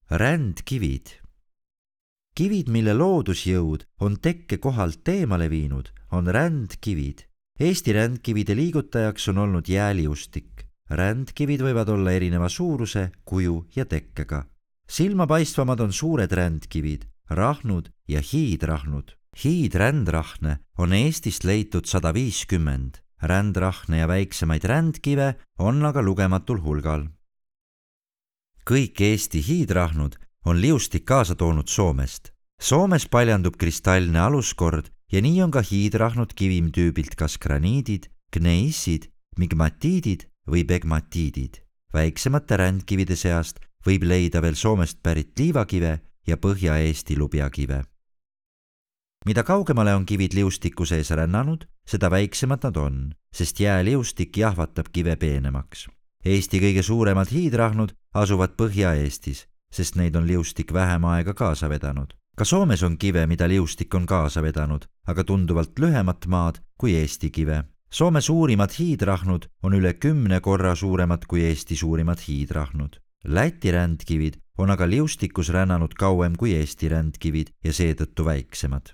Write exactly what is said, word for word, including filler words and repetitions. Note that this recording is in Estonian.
Rändkivid. Kivid, mille loodusjõud on tekke kohalt eemale viinud, on rändkivid. Eesti rändkivide liigutajaks on olnud jääliustik. Rändkivid võivad olla erineva suuruse, kuju ja tekkega. Silmapaistvamad on suured rändkivid, rahnud ja hiidrahnud. Hiidrändrahne on Eestist leitud sada viiskümmend. Rändrahne ja väiksemaid rändkive on aga lugematul hulgal. Kõik Eesti hiidrahnud on liustik kaasa toonud Soomest. Soomes paljandub kristallne aluskord ja nii on ka hiidrahnud kivimtüübilt kas graniidid, gneissid, migmatiidid või pegmatiidid. Väiksemate rändkivide seast võib leida veel Soomest pärit liivakive ja Põhja-Eesti lubjakive. Mida kaugemale on kivid liustiku sees rännanud, seda väiksemad nad on, sest jääliustik jahvatab kive peenemaks. Eesti kõige suuremad hiidrahnud asuvad Põhja-Eestis, sest neid on liustik vähem aega kaasa vedanud. Ka Soomes on kive, mida liustik on kaasa vedanud, aga tunduvalt lühemat maad kui Eesti kive. Soome suurimad hiidrahnud on üle kümne korra suuremad kui Eesti suurimad hiidrahnud. Läti rändkivid on aga liustikus rännanud kauem kui Eesti rändkivid ja seetõttu väiksemad.